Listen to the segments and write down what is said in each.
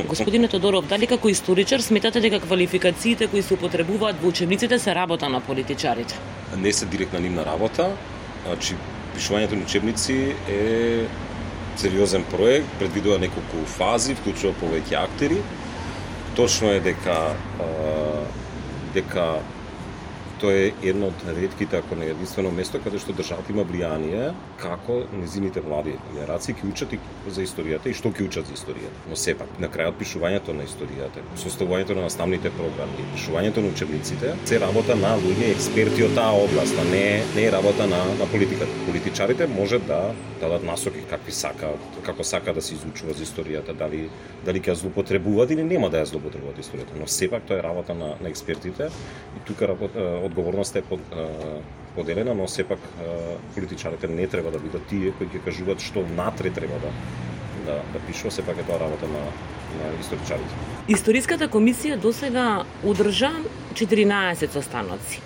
Господине Тодоров, дали како историчар сметате дека квалификациите кои се употребуваат во учебниците се работа на политичарите? Не се директна нивна работа, значи пишувањето на учебници е сериозен проект, предвидува неколку фази, вклучува повеќе актери. Точно е дека тоа е едно од ретките, ако не единствено место каде што државата има влијание како незините млади генерации ќе учат и за историјата и што ќе учат за историјата. Но сепак, на крајот пишувањето на историјата, составувањето на наставните програми, пишувањето на учебниците, се работа на луѓе експерти од таа област, а не е работа на политиката. Политичарите може да дадат насоки како сака да се изучува за историјата, дали ќе ја злоупотребуваат или нема да ја злоупотребуваат историјата, но сепак тоа е работа на експертите и тука одговорноста е поделена, но сепак политичарите не треба да бидат тие кои ќе кажуваат што внатре треба да пишува, сепак е тоа работа на историчарите. Историската комисија досега одржа 14 состаноци.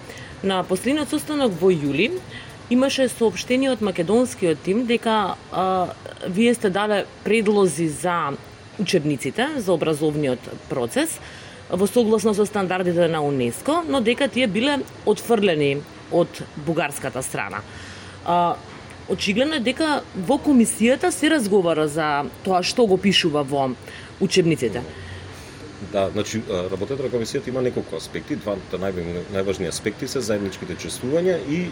На последниот состанок во јули имаше соопштение од македонскиот тим дека вие сте дале предлози за учебниците, за образовниот процес, во согласно со стандардите на УНЕСКО, но дека тие биле отфрлени од бугарската страна. Очигледно е дека во комисијата се разговара за тоа што го пишува во учебниците. Да, значи работата на комисијата има неколку аспекти. Двата најважни аспекти се заедничките чествувања и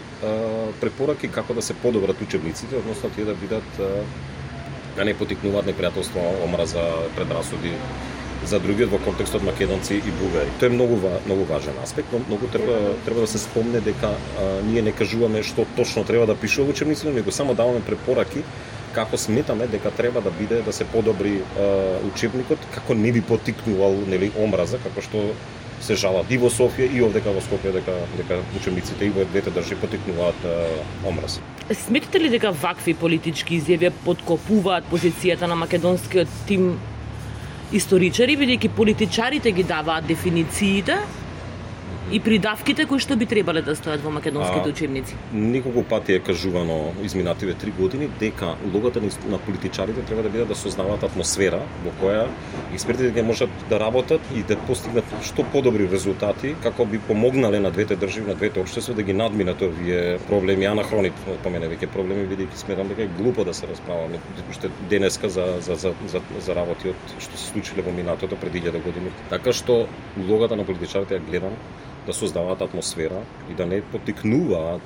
препораки како да се подобрат учебниците, односно тие да бидат да не потикнуваат непријателство, омраза, предрасуди за другиот во контекстот македонци и бугари. Тоа е многу важен аспект, но многу треба да се спомне дека ние не кажуваме што точно треба да пишува во учебниците, него само даваме препораки како сметаме дека треба да биде да се подобри учебникот, како не би потикнувал омраза, како што се жалат и во Софија и овдека во Скопје дека учебниците и во двете држави потикнуваат омраз. Сметате ли дека вакви политички изјави подкопуваат позицијата на македонскиот тим историчари, бидејќи политичарите ги даваат дефинициите и придавките кои што би требале да стојат во македонските учебници? Неколку пати е кажувано изминативе 3 години дека улогата на политичарите треба да биде да создаваат атмосфера во која експертите ќе можат да работат и да постигнат што подобри резултати, како би помогнале на двете држави, на двете општества да ги надминат овие проблеми, анахрони помене веќе проблеми, бидејќи сметам дека е глупо да се расправаме уште денеска за работи од што се случиле во минатото пред 1000 години. Така што улогата на политичарите ја гледам да создаваат атмосфера и да не потикнуваат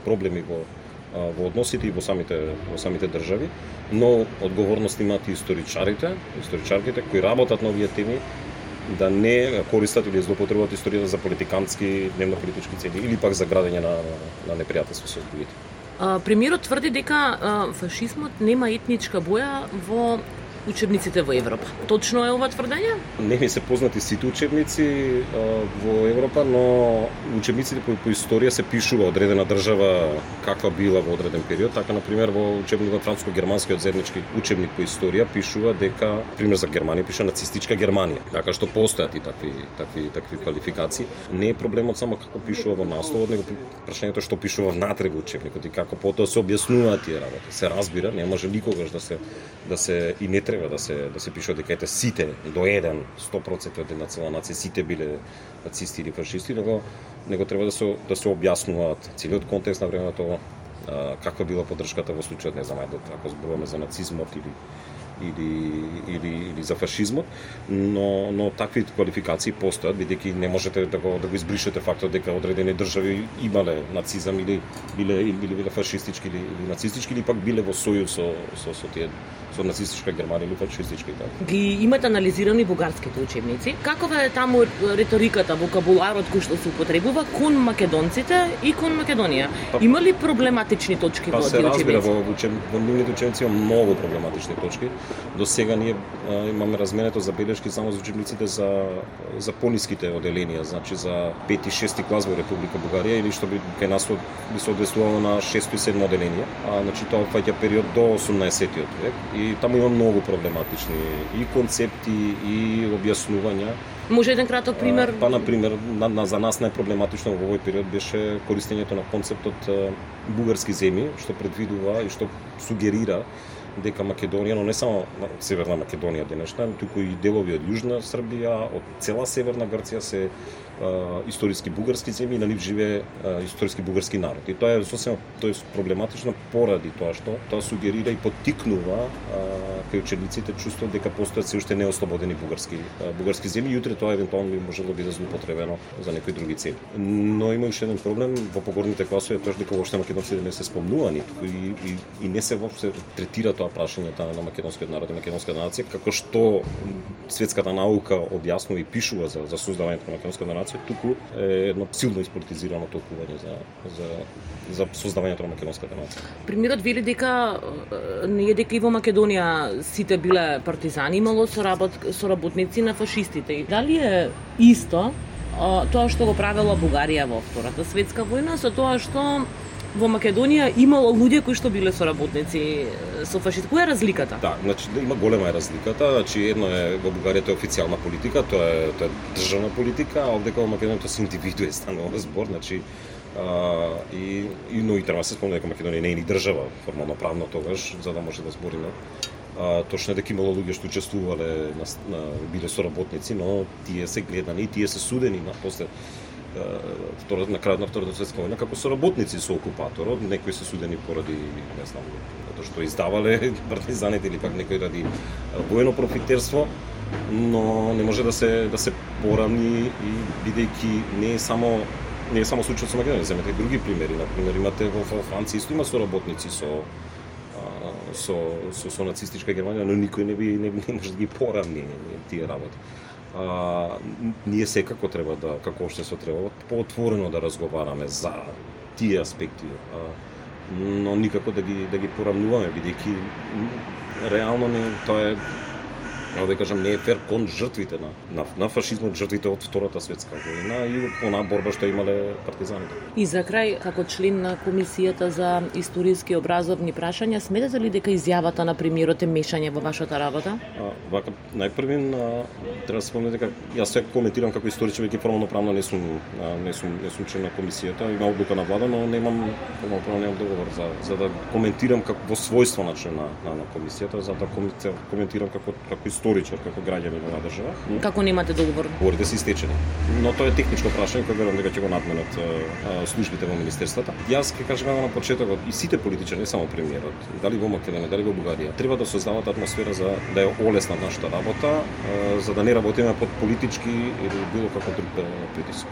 проблеми во односите и во самите држави, но одговорност имаат и историчарките кои работат на овие теми, да не користат или злоупотребуваат историјата за политикански, дневно-политички цели или пак за градење на непријателство со другите. Премиерот тврди дека фашизмот нема етничка боја во учебниците во Европа. Точно е ова тврдење? Не ми се познати сите учебници во Европа, но учебниците по историја се пишува одредена држава каква била во одреден период. Така, например, во учебникот франско-германскиот заеднички учебник по историја пишува дека, пример за Германија, пишува нацистичка Германија. Така што постојат и такви квалификации. Не е проблемот само како пишува во насловот, него прашањето што пишува внатре во учебникот и како потоа се објаснуваат тие работи. Се разбира, не може никогаш да се и не треба да се пишува дека ете сите до 100% од една цела нација сите биле нацисти или фашисти, него треба да се објаснуваат целиот контекст на времето, каква била поддршката во случајот, не знам, ако зборуваме за нацизмот или за фашизмот, но такви квалификации постојат, бидејќи не можете да го избришете фактот дека одредени држави имале нацизам или биле фашистички или нацистички или пак биле во сојуз со тие со нацистичка Германија или фашистичка Италија. Ги имате анализирани бугарските учебници. Какова е таму риториката, вокабуларот кој што се употребува кон македонците и кон Македонија? Има ли проблематични точки во тие учебници? Се разбира, во нивните учебници има многу проблематични точки. До сега ние имаме разменето забелешки само за учебниците за пониските оделенија, значи за 5 и 6 клас во Република Бугарија или што би кај нас би се однесувало на 6 и 7 оделенија, значи тоа фаќа период до 18-тиот век и таму има многу проблематични и концепти и објаснувања. Може еден краток пример? На пример, за нас најпроблематично во овој период беше користењето на концептот бугарски земји, што предвидува и што сугерира дека Македонија, но не само Северна Македонија денешна, туку и делови од Јужна Србија, од цела Северна Грција се историски бугарски земји и на нив живее историски бугарски народ. И тоа е сосема проблематично поради тоа што тоа сугерира и поттикнува кај учениците чувство дека постојат се уште неослободени бугарски земји и утре тоа евентуално би можело да биде злоупотребено за некои други цели. Но има уште еден проблем во погорните класови, тоа дека воопште македонците не се спомнувани и не се воопште третира тоа прашање на македонскиот народ и македонската нација како што светската наука објаснува и пишува за создавањето на македонската нација, туку е едно силно исполитизирано толкување за создавањето на македонската нација. Премиерот вели дека не е дека и во Македонија сите биле партизани, имало соработници на фашистите. И дали е исто тоа што го правела Бугарија во Втората светска војна со тоа што во Македонија имало луѓе кои што биле соработници со фашистите? Која е разликата? Да, значи има голема разликата. Значи едно е во Бугарија тоа е официјална политика, тоа е државна политика, а овде во Македонија тоа се индивидуе станува збор, значи но и треба да се спомне дека Македонија не е ни држава формално правно тогаш, за да може да збориме. Точно е дека имало луѓе што учествувале биле соработници, но тие се гледани и тие се судени после на крајот на Втората светска војна како соработници со окупаторот, некои се судени поради, не знам, затоа што издавале партизаните или пак некои ради воено профитерство, но не може да се поравни и бидејќи не е само случајот со Македонија, земете и други примери. Например, имате во Франција исто има соработници со нацистичка Германија, но никој не може да ги поравни тие работи. Ние секако треба како општество треба поотворено да разговараме за тие аспекти, но никако да ги поравнуваме, бидејќи реално тоа е, да кажам, не е фер кон жртвите на фашизмот, жртвите од Втората светска војна и онаа борба што имале партизаните. И за крај, како член на Комисијата за историски и образовни прашања, сметате ли дека изјавата на премиерот е мешање во вашата работа? Вака, најпрвин треба да се спомне дека јас се коментирам како историчар, веќе формално правно не сум член на комисијата, има одлука на влада, но формално правно немам договор за да коментирам во својство на член на комисијата, за да коментирам како историчар, како граѓанин на држава. Како немате договор? Договорите се истечени. Но тоа е техничко прашање кој верувам дека ќе го надменат службите во министерствата. Јас ќе кажам на почетокот и сите политичари, не само премиерот, дали во Македонија, дали во Бугарија, треба да создават атмосфера за да ја олесна нашата работа, за да не работиме под политички или било каков друг притисок.